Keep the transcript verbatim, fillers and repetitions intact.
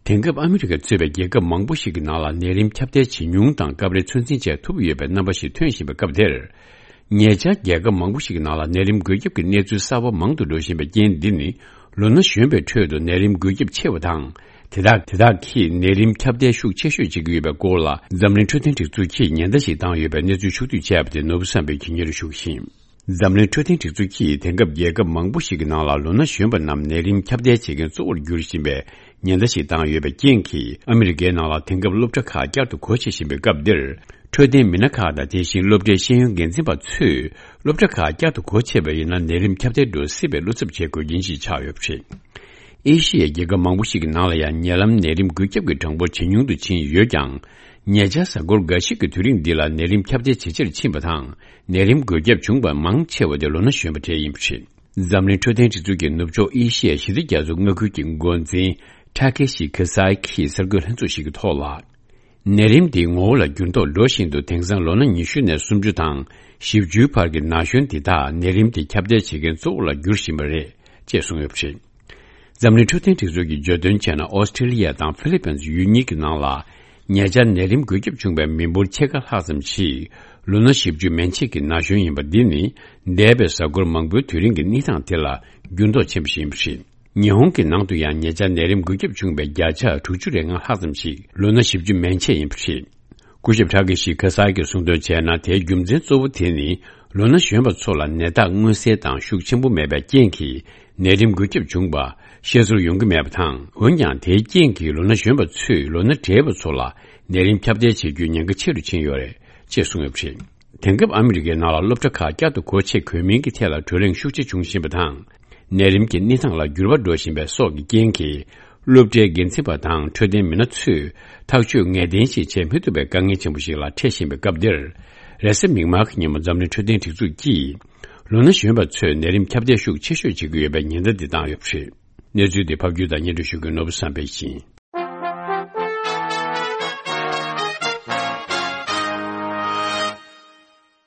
དེང་སྐབས་ཨ་མི་རི་ཀ་གཙོས་པའི་རྒྱལ་ཁབ་མང་པོ་ཞིག་གི་ནང་ལ་ནད་རིམས་ཁྱབ་གདལ་ཇེ་ཉུང་དང་སྐབས་རེ་ཚོད་འཛིན་བྱེད་ཐུབ་ཡོད་པའི་རྣམ་པ་ཞིག་ཐོན་བཞིན་པའི་སྐབས་དེར། ཉེ་ཆར་རྒྱལ་ཁབ་མང་པོ་ཞིག་གི་ནང་ལ་ནད་རིམས་འགོས་ཁྱབ་ཀྱི་གནས་ཚུལ་གསར་པ་མང་དུ་འགྲོ་བཞིན་པའི་རྐྱེན་འདི་ནི། ལོ་ན་གཞོན་པའི་ཁྲོད་དུ་ནད་རིམས་འགོས་ཁྱབ་ཆེ་བ་དང་། དེ་དག་དེ་དག་གིས་ནད་རིམས་ཁྱབ་གདལ་ཤུགས་ཆེ་ཤོས་བྱེད་ཀྱི་ཡོད་པའི་སྐོར་ལ། འཛམ་གླིང་འཕྲོད་བསྟེན་སྒྲིག་འཛུགས་ཀྱིས་ཉེན་བརྡ་ཞིག་བཏང་ཡོད་པའི་གནས་ཚུལ་ཕྱོགས་བསྡུས་བྱས་པ་དེ་ནོར་བུ་བསམ་འཕེལ་གྱིས་སྙན་སྒྲོན་ཞུ་གི་ཡིན། འཛམ་གླིང་འཕྲོད་བསྟེན་སྒྲིག་འཛུགས་ཀྱིས་དེང་སྐབས་རྒྱལ་ཁབ་མང་པོ་ཞིག་གི་ནང་ལ་ལོ་ན་གཞོན་པ་རྣམས་ནད་རིམས་ཁྱབ་གདལ་བྱེད་མཁན་གཙོ་བོར་འགྱུར་བཞིན་པའི་ཉེན་བརྡ་ཞིག་བཏང་ཡོད་པའི་རྐྱེན་གྱིས། ཨ་མི་རི་ཀའི་ནང་ལ་དེང་སྐབས་སློབ་གྲྭ་ཁག་བསྐྱར་དུ་སྒོ་ཕྱེ་བཞིན་པའི་སྐབས་འདིར། འཕྲོད་བསྟེན་མི་སྣ་ཁག་དང་། དེ་བཞིན་སློབ་གྲྭའི་ཤེས་ཡོན་འགན་འཛིན་པ་ཚོས་སློབ་གྲྭ་ཁག་བསྐྱར་དུ་སྒོ་ཕྱེ་བ་ཡིན་ན་ནད་རིམས་ཁྱབ་གདལ་འགྲོ་སྲིད་པའི་བློ་འཚབ་བྱེད་དགོས་རྐྱེན་ཞིག་ཆགས་ཡོད་པ་རེད། ཨེ་ཤི་ཡའི་རྒྱལ་ཁབ་མང་པོ་ཞིག་གི་ནང་ལ་ཡང་ཉེ་ལམ་ནད་རིམས་འགོས་ཁྱབ་ཀྱི་གྲངས་འབོར་ཇེ་ཉུང་དུ་ཕྱིན་ཡོད་ཀྱང་། ཉེ་ཆར་གཟའ་འཁོར་འགའ་ཞིག་གི་དུས་རིང་འདི་ལ་ནད་རིམས་ཁྱབ་གདལ་ཇེ་ཆེར་ཕྱིན་པ་དང་། ནད་རིམས་འགོས་ཁྱབ་བྱུང་བ་མང་ཆེ་བ་དེ་ལོ་ན་གཞོན་པ་གྲས་ཡིན་པ་རེད། འཛམ་གླིང་འཕྲོད་བསྟེན་སྒྲིག་འཛུགས་ཀྱི་ནུབ་ཕྱོགས་ཨེ་ཤི་ཡའི་ཞི་བདེ་རྒྱ་མཚོ་མངའ་ཁུལ་གྱི་འགོ་འཛིན་ཊ་ཀེ་ཤི་ཁི་སའི་གིས་གསར་འགོད་ལྷན་ཚོགས་ཤིག་གི་ཐོག་ལ། ནད་རིམས་འདི་ངོ་བོ་ལ་འགྱུར་ལྡོག་འགྲོ་བཞིན་འདུག་དེང་སང་ལོ་ན་ཉི་ཤུ་ནས་སུམ་ཅུ་དང་བཞི་བཅུའི་བར་གྱི་ན་གཞོན་འདི་དག་ནད་རིམས་འདི་ཁྱབ་གདལ་བྱེད་མཁན་གཙོ་བོ་ལ་འགྱུར་བཞིན་པ་རེད་ཅེས་གསུངས་ཡོད་པ་རེད། འཛམ་གླིང་འཕྲོད་བསྟེན་སྒྲིག་འཛུགས་ཀྱིས་བརྗོད་དོན་བྱས་ན། ཨོ་སི་ཀྲི་ལི་ཡ་དང་ཧྥི་ལི་པིན་ཡུལ་གཉིས་ཀྱི་ནང་ལ་ཉེ་ཆར་ནད་རིམས་འགོས་ཁྱབ་བྱུང་བའི་མི་འབོར་ཕྱེད་ཀ་ལྷག་ཙམ་ཞིག་ལོ་ན་བཞི་བཅུ་མན་ཆད་ཀྱི་ན་གཞོན་ཡིན་པ་འདི་ནི། འདས་པའི་གཟའ་འཁོར་མང་པོའི་དུས་རིང་གི་གནས་སྟངས་དེ་ལ་འགྱུར་ལྡོག་ཆེན་པོ་ཞིག་ཡིན་པ་རེད། ཉི་ཧོང་གི་ནང་དུ་ཡང་ཉེ་ཆར་ནད་རིམས་འགོས་ཁྱབ་བྱུང་བའི་བརྒྱ་ཆ་དྲུག་ཅུ་རེ་ལྔ་ལྷག་ཙམ་ཞིག་ལོ་ན་བཞི་བཅུ་མན་ཆད་ཡིན་པ་རེད། སྐུ་ཞབས་ཊ་ཀེ་ཤི་ཁ་སཱ་གིས་གསུངས་དོན་བྱས་ན། དེའི་རྒྱུ་མཚན་གཙོ་བོ་དེ་ནི་ལོ་ན་གཞོན་པ་ཚོ་ལ་ནད་རྟགས་མངོན་གསལ་དང་ཤུགས་ཆེན་པོ་མེད་པའི་རྐྱེན་གྱིས་ནད་རིམས་འགོས་ཁྱབ་བྱུང་བ་ཤེས་ཚོར་ཡོང་གི་མེད་པ་དང་། འོན་ཀྱང་དེའི་རྐྱེན་གྱིས་ལོ་ན་གཞོན་པ་ཚོས་ལོ་ན་བགྲེས་པ་ཚོ་ལ་ནད་རིམས་ཁྱབ་གདལ་བྱེད་རྒྱུའི་ཉེན་ཁ་ཆེ་རུ་ཕྱིན་ཡོད་རེད་ཅེས་གསུངས་ཡོད་པ་རེད། དེང་སྐབས་ཨ་མི་རི་ཀའི་ནང་ལ་སློབ་གྲྭ་ཁག་བསྐྱར་དུ་སྒོ་ཕྱེ་དགོས་མིན་གྱི་ཐད་ལ་བགྲོ་གླེང་ཤུགས་ཆེ་བྱུང་བཞིན་པ་དང་། ནད་རིམས་ཀྱི་གནས་སྟངས་ལ་འགྱུར་བ་འགྲོ་བཞིན་པའི་སོགས་ཀྱི་རྐྱེན་གྱིས། སློབ་གྲྭའི་འགན་འཛིན་པ་དང་འཕྲོད་བསྟེན་མི་སྣ་ཚོས་ཐག་གཅོད་ངེས་གཏན་ཞིག་བྱེད་མི་ཐུབ་པའི་དཀའ་ངལ་ཆེན་པོ་ཞིག་ལ་འཕྲད་བཞིན་པའི་སྐབས་འདིར། རེས་གཟའ་མིག་དམར་གྱི་ཉིན་མོ་འཛམ་གླིང་འཕྲོད་བསྟེན་སྒྲིག་འཛུགས་ཀྱིས། ལོ་ན་གཞོན་པ་ཚོས་ནད་རིམས་ཁྱབ་གདལ་ཤུགས་ཆེ་ཤོས་བྱེད་ཀྱི་ཡོད་པའི་ཉེན་བརྡ་འདི་བཏང་ཡོད་པ་རེད། གནས་ཚུལ་འདི་ཕབ་སྒྱུར་དང་སྙན་སྒྲོན་ཞུ་མཁན་ནོར་བུ་བསམ་འཕེལ་ཡིན།